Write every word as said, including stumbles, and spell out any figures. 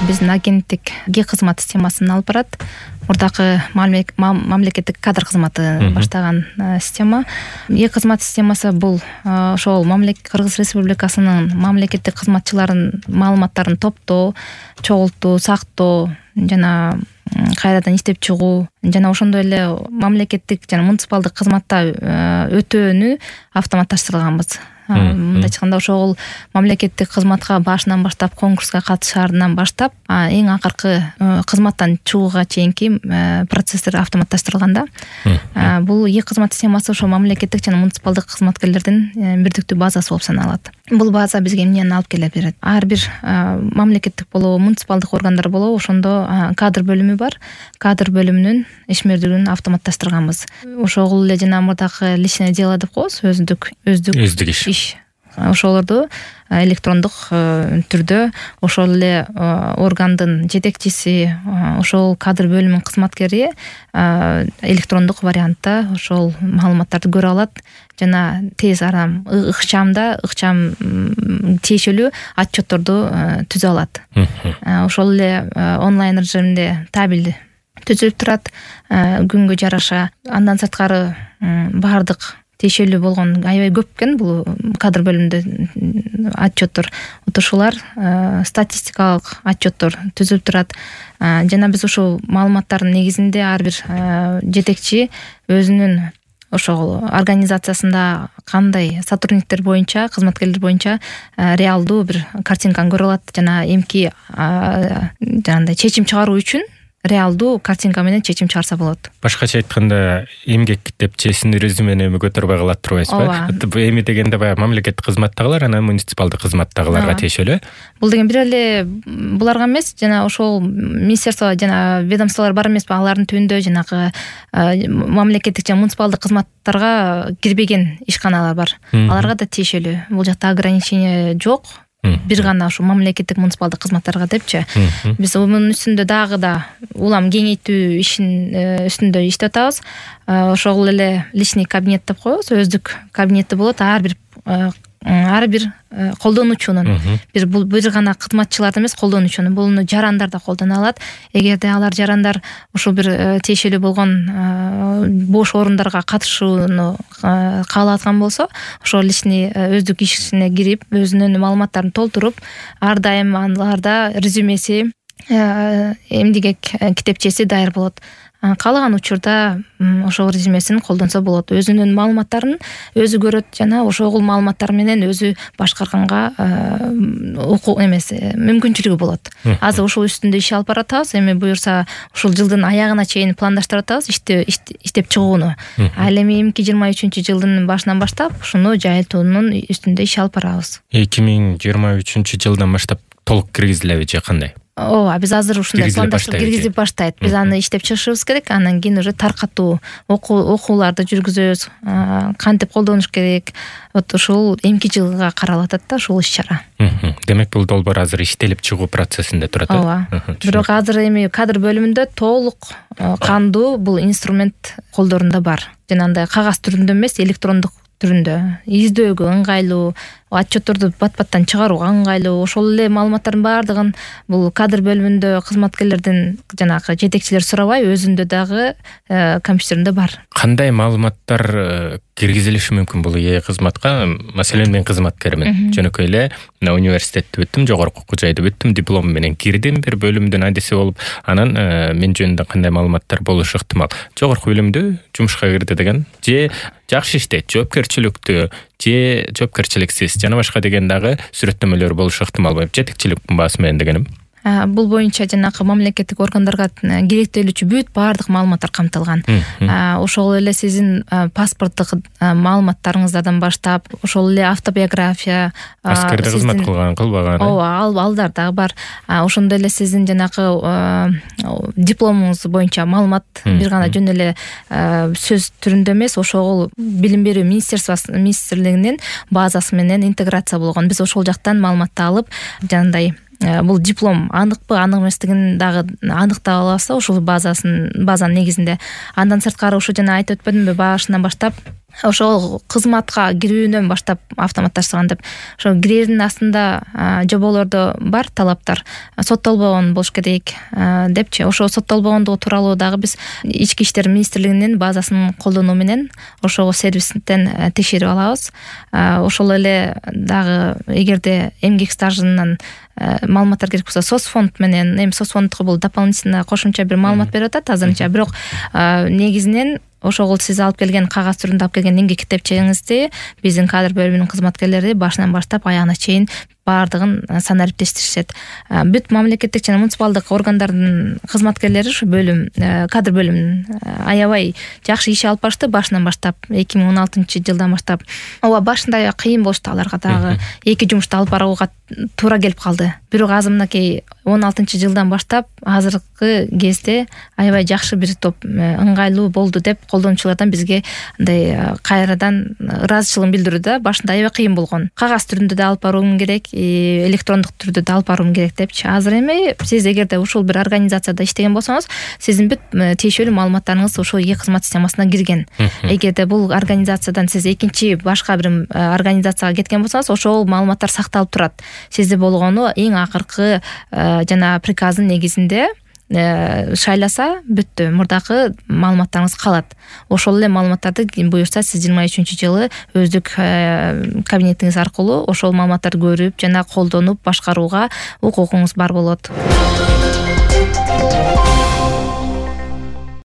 биздин агенттик Г кызмат системасын алып барат. Мурдакы мамлекеттик кадр кызматы баштаган система. Г кызмат системасы бул ошол мамлекет Кыргыз Республикасынын мамлекеттик кызматчыларын маалыматтарын топтоо, чогултуу, сактоо жана кайрадан иштеп чыгуу жана ошондой эле мамлекеттик жана муниципалдык кызматта өтөөнү автоматташтырганбыз. Мындай айтканда ошол мамлекеттик кызматка башынан баштап конкурска катышаарынан баштап эң акыркы кызматтан чыгууга чейинки процесстер автоматташтырылган да. Бул Е кызмат системасы ошол мамлекеттик жана муниципалдык кызматкерлердин бирдиктүү базасы болуп саналат. Бул база бизге эмнени алып келе берет? Ар бир мамлекеттик болобу, муниципалдык органдар болобу, ошондо кадр бөлүмү бар. Кадр бөлүмүнүн ишмердүүлүгүн автоматташтырганбыз. Ошол эле жана мурдакы личное дело деп коебуз, өздүк өздүк өздүк иш. Ошолорду электрондук түрдө ошол эле органдын жетекчиси, ошол кадр бөлүмүнүн кызматкери электрондук вариантта ошол маалыматтарды көрө алат жана тез арам ыкчамда ыкчам тиешелүү отчетторду түзө алат. Ошол эле онлайн режимде табель түзүлүп турат күнгө жараша. Андан сырткары баардык тиешелүү болгон аябай көп экен бул кадр бөлүмүндө отчеттор, утушуулар, статистикалык отчеттор түзүлүп турат. Жана биз ушул маалыматтардын негизинде ар бир жетекчи өзүнүн ошол организациясында кандай сотрудниктер боюнча, кызматкерлер боюнча реалдуу бир картинканы көрө алат жана эмки жанагындай чечим чыгаруу үчүн реалдуу картинка менен чечим чыгарса болот. Башкача айтканда, эмгек китепчесин резюмени эми көтөрбөй калат турбайсызбы? Эми дегенде баягы мамлекеттик кызматтагылар, анан муниципалдык кызматтагыларга тиешелүү. Бул деген бир эле буларга эмес, жана ошол министерство жана ведомстволор бар эмеспи, алардын түбүндө жанагы мамлекеттик жана муниципалдык кызматтарга кирбеген ишканалар бар. Аларга да тиешелүү. Бул жакта ограничение жок. Бир гана ошо мамлекеттик муниципалдык кызматтарга депчи. Биз мунун үстүндө дагы да улам кеңейтүү ишин үстүндө иштеп атабыз. Ошол эле личный кабинет деп коебуз, өздүк кабинети болот. Ар бир ар бир колдонуучунун бир бул бир гана кызматчыларды эмес, колдонуучунун буну жарандар да колдоно алат. Эгерде алар жарандар ушул бир тиешелүү болгон бош орундарга катышууну каалап аткан болсо, ошол личный өздүк ишине кирип, өзүнүн маалыматтарын толтуруп, ар дайым аларда резюмеси, эмдигек китепчеси даяр болот. Каалаган учурда ошол резюмесин колдонсо болот. Өзүнүн маалыматтарын өзү көрөт жана ошол маалыматтар менен өзү башкарганга окуу эмес мүмкүнчүлүгү болот. Азыр ушул үстүндө иш алып баратабыз. Эми буюрса ушул жылдын аягына чейин пландаштырып атабыз иштеп чыгууну. Ал эми эки миң жыйырма үчүнчү жылдын башынан баштап ушуну жайылтуунун үстүндө иш алып барабыз. эки миң жыйырма үчүнчү жылдан баштап толук киргизилеби же кандай? Ооба, биз азыр ушундай пландаштырып киргизип баштайт. Биз аны иштеп чыгышыбыз керек, анан кийин уже таркатуу окууларды жүргүзөбүз, кантип колдонуш керек. Вот ушул эмки жылга каралып атат да ушул иш-чара. Демек бул долбоор азыр иштелип чыгуу процессинде турат. Ооба. Бирок азыр эми кадр бөлүмүндө толук кандуу бул инструмент колдорунда бар. Жанагындай кагаз түрүндө эмес, электрондук түрүндө. Издөөгө ыңгайлуу, отчетторду бат-баттан чыгарууга ыңгайлуу. Ошол эле маалыматтардын баардыгын бул кадр бөлүмүндө кызматкерлердин жанагы жетекчилер сурабай, өзүндө дагы компьютеринде бар. Кандай маалыматтар киргизилиши мүмкүн бул Е кызматка? Маселен, мен кызматкермин. Жөнөкөй эле университетти бүттүм, жогорку окуу жайды бүттүм, диплом менен кирдим, бир бөлүмдүн адиси болуп, анан мен жөнүндө кандай маалыматтар болушу ыктымал? Жогорку билимдүү, жумушка кирди деген, же жакшы иштейт, жоопкерчиликтүү, же жоопкерчиликсиз жана башка деген дагы сүрөттөмөлөр болушу ыктымал. Жетекчилик баасы менен дегеним. Бул боюнча жанагы мамлекеттик органдарга керектелүүчү бүт баардык маалыматтар камтылган. Ошол эле сиздин паспорттук маалыматтарыңыздан баштап, ошол эле автобиография, аскерде кызмат кылган, кылбаган. Ооба, алдар дагы бар. Ошондой эле сиздин жанагы дипломуңуз боюнча маалымат бир гана жөн эле сөз түрүндө эмес, ошол билим берүү министерствосы министрлигинин базасы менен интеграция болгон. Биз ошол жактан маалыматты алып, жандай бул диплом аныкпы, анык эместигин дагы аныктап алабыз ошол базасын базанын негизинде. Андан сырткары ушу жана айтып өтпөдүмбү, башынан баштап ошол кызматка кирүүнөн баштап автоматташтырган деп ошо кирердин астында жоболордо бар талаптар соттолбогон болуш керек депчи. Ошо соттолбогондугу тууралуу дагы биз ички иштер министрлигинин базасын колдонуу менен ошого сервистен текшерип алабыз. Ошол эле дагы эгерде эмгек стажынан маалыматтар керек болсо соцфонд менен, эми соцфондко бул дополнительно кошумча бир маалымат берип атат азырынча, бирок негизинен ошол сиз алып келген кагаз түрүндө алып келген эмгек китепчеңизди биздин кадр бөлүмүнүн кызматкерлери башынан баштап аягына чейин баардыгын санариптештиришет. Бүт мамлекеттик жана муниципалдык органдардын кызматкерлери ушу бөлүм, кадр бөлүмүнүн аябай жакшы иш алып барышты башынан баштап, эки миң он алтынчы жылдан баштап. Ооба, башында аябай кыйын болушту аларга дагы. Эки жумушту алып барууга туура келип калды. Бирок азыр мынакей он алтынчы жылдан баштап азыркы кезде аябай жакшы бир топ ыңгайлуу болду деп колдонуучулардан бизге андай кайрадан ыраазычылыгын билдирүүдө. Башында аябай кыйын болгон. Кагаз түрүндө да алып баруум керек, электрондук түрдө да алып баруум керек депчи. Азыр эми сиз эгерде ушул бир организацияда иштеген болсоңуз, сиздин бүт тиешелүү маалыматтарыңыз ушул e-кызмат системасына кирген. Эгерде бул организациядан сиз экинчи башка бир организацияга кеткен болсоңуз, ошол маалыматтар сакталып турат. Сизде болгону эң акыркы жана приказдын негизинде шайласа бүттү, мурдакы маалыматтарыңыз калат. Ошол эле маалыматтарды буюрса сиз жыйырма үчүнчү жылы өздүк кабинетиңиз аркылуу ошол маалыматтарды көрүп жана колдонуп башкарууга укугуңуз бар болот.